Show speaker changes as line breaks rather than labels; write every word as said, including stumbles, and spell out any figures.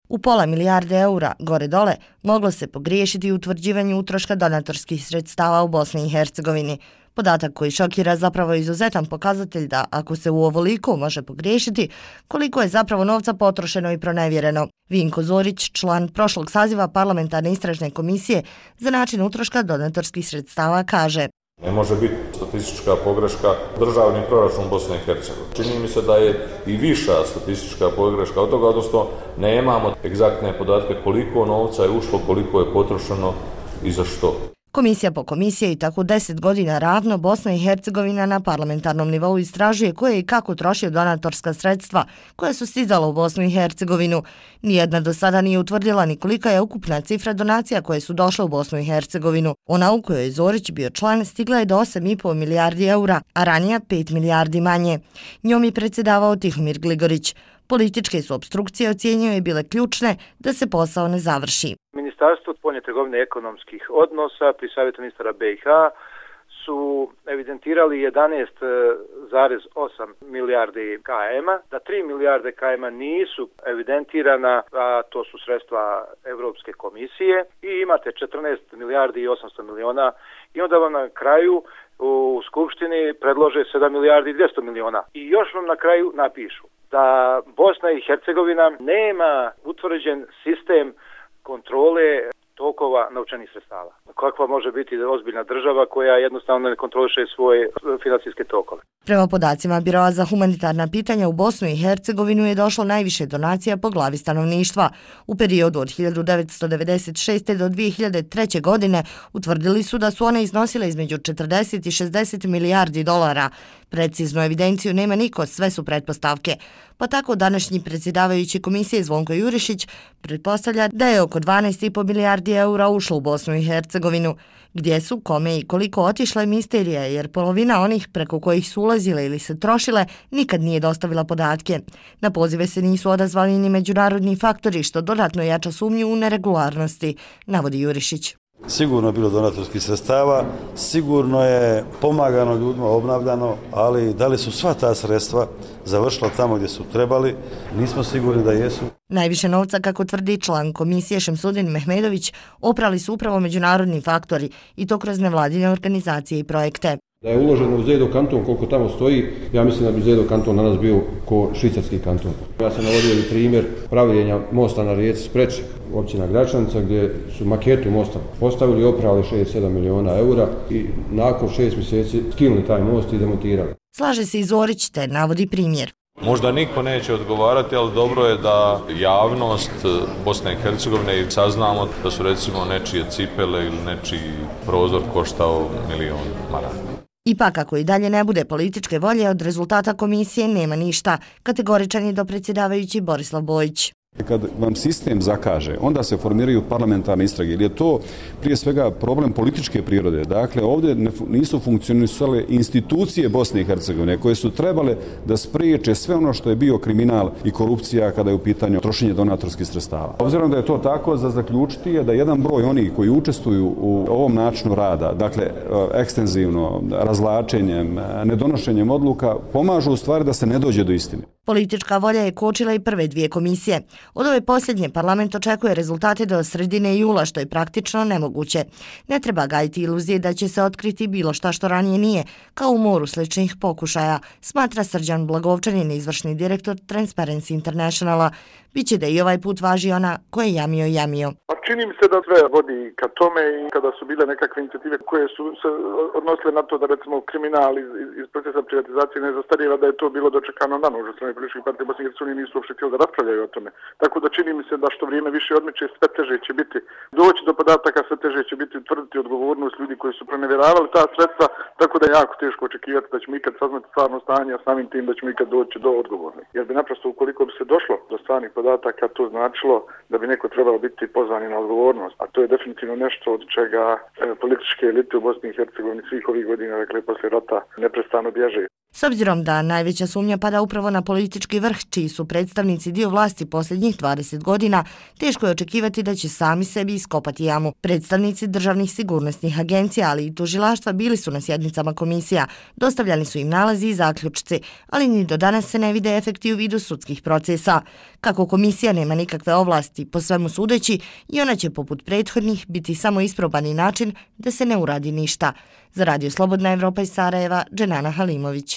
U pola milijarde eura, gore dole, moglo se pogriješiti u utvrđivanju utroška donatorskih sredstava u Bosni i Hercegovini. Podatak koji šokira zapravo je izuzetan pokazatelj da, ako se u ovoliko može pogriješiti, koliko je zapravo novca potrošeno i pronevjereno. Vinko Zorić, član prošlog saziva parlamentarne istražne komisije za način utroška donatorskih sredstava, kaže:
Ne može biti statistička pogreška državni proračun Bosne i Hercegovine. Čini mi se da je i viša statistička pogreška od toga, odnosno nemamo egzaktne podatke koliko novca je ušlo, koliko je potrošeno i za što.
Komisija po komisije i tako deset godina ravno Bosna i Hercegovina na parlamentarnom nivou istražuje koje i kako troši donatorska sredstva koja su stizala u Bosnu i Hercegovinu. Nijedna do sada nije utvrdila ni kolika je ukupna cifra donacija koje su došle u Bosnu i Hercegovinu. Ona u kojoj je Zorić bio član stigla je do osam i po milijardi eura, a ranije pet milijardi manje. Njom je predsjedavao Tihomir Gligorić. Političke su opstrukcije, ocjenjuje, je bile ključne da se posao ne završi.
Ministarstvo spoljne trgovine i ekonomskih odnosa pri savjetu ministara B i H su evidentirali jedanaest zarez osam milijardi km, da tri milijarde km nisu evidentirana, a to su sredstva Europske komisije, i imate četrnaest milijardi i osamsto miliona, i onda vam na kraju u Skupštini predlože sedam milijardi i dvjesto miliona. I još vam na kraju napišu da Bosna i Hercegovina nema utvrđen sistem kontrole tokova novčanih sredstava. Kakva može biti ozbiljna država koja jednostavno ne kontroliše svoje finansijske tokove?
Prema podacima Biroa za humanitarna pitanja, u Bosnu i Hercegovinu je došlo najviše donacija po glavi stanovništva. U periodu od hiljadu devetsto devedeset šeste. do dvije hiljade treće. godine utvrdili su da su one iznosile između četrdeset i šezdeset milijardi dolara. Preciznu evidenciju nema niko, sve su pretpostavke. Pa tako današnji predsjedavajući komisije Zvonko Jurišić pretpostavlja da je oko dvanaest i po milijardi eura ušlo u Bosnu i Hercegovinu. Gdje su, kome i koliko otišle misterija, jer polovina onih preko kojih su ulazile ili se trošile nikad nije dostavila podatke. Na pozive se nisu odazvali ni međunarodni faktori, što dodatno jača sumnju u neregularnosti, navodi Jurišić.
Sigurno je bilo donatorskih sredstava, sigurno je pomagano ljudima, obnavljano, ali da li su sva ta sredstva završila tamo gdje su trebali, nismo sigurni da jesu.
Najviše novca, kako tvrdi član komisije Šemsudin Mehmedović, oprali su upravo međunarodni faktori, i to kroz nevladine organizacije i projekte.
Da je uloženo u Zedo kanton koliko tamo stoji, ja mislim da bi Zedo kanton na nas bio ko švicarski kanton. Ja sam navodio i primjer pravljenja mosta na rijeci Spreče, općina Gračanica, gdje su maketu mosta postavili i oprali šest sedam miliona eura i nakon šest mjeseci skinuli taj most i demontirali.
Slaže se i Zorić, te navodi primjer.
Možda niko neće odgovarati, ali dobro je da javnost Bosne i Hercegovine i saznamo da su recimo nečije cipele ili nečiji prozor koštao milion maraka.
Ipak, ako i dalje ne bude političke volje, od rezultata komisije nema ništa, kategoričan je dopredsjedavajući Borislav Bojić.
Kad vam sistem zakaže, onda se formiraju parlamentarne istrage, jer je to prije svega problem političke prirode. Dakle, ovdje nisu funkcionisale institucije Bosne i Hercegovine koje su trebale da spriječe sve ono što je bio kriminal i korupcija kada je u pitanju trošenje donatorskih sredstava. Obzirom da je to tako, za zaključiti je da jedan broj onih koji učestvuju u ovom načinu rada, dakle ekstenzivno, razvlačenjem, nedonošenjem odluka, pomažu u stvari da se ne dođe do istine.
Politička volja je kočila i prve dvije komisije. Od ove posljednje parlament očekuje rezultate do sredine jula, što je praktično nemoguće. Ne treba gajiti iluzije da će se otkriti bilo šta što ranije nije, kao u moru sličnih pokušaja, smatra Srđan Blagovčanin, izvršni direktor Transparency Internationala. Biće da i ovaj put važi ona ko je jamio jamio.
Čini mi se da sve vodi ka tome, i kada su bile nekakve inicijative koje su se odnosile na to da recimo kriminal iz, iz procesa privatizacije ne zastarijeva, da je to bilo dočekano na nož od strane političkih partija Bosne i Hercegovine, nisu uopšte htjeli da raspravljaju o tome. Tako da čini mi se da što vrijeme više odmiče, sve teže će biti doći do podataka, sve teže će biti utvrditi odgovornost ljudi koji su pronevjeravali ta sredstva, tako da je jako teško očekivati da ćemo ikad saznati stvarno stanje, a samim tim da ćemo ikad doći do odgovornih. Jer bi naprosto, ukoliko bi se došlo do stvarnih podataka, to značilo da bi neko trebalo biti pozvan na odgovornost, a to je definitivno nešto od čega e, političke elite u Bosni i Hercegovini svih ovih godina, dakle, poslije rata, neprestano bježe.
S obzirom da najveća sumnja pada upravo na politički vrh, čiji su predstavnici dio vlasti posljednjih dvadeset godina, teško je očekivati da će sami sebi iskopati jamu. Predstavnici državnih sigurnosnih agencija, ali i tužilaštva bili su na sjednicama komisija, dostavljani su im nalazi i zaključci, ali ni do danas se ne vide efekti u vidu sudskih procesa. Kako komisija nema nikakve ovlasti, po svemu sudeći, i ona će poput prethodnih biti samo isprobani način da se ne uradi ništa. Za Radio Slobodna Evropa iz Sarajeva, Dženana Halimović.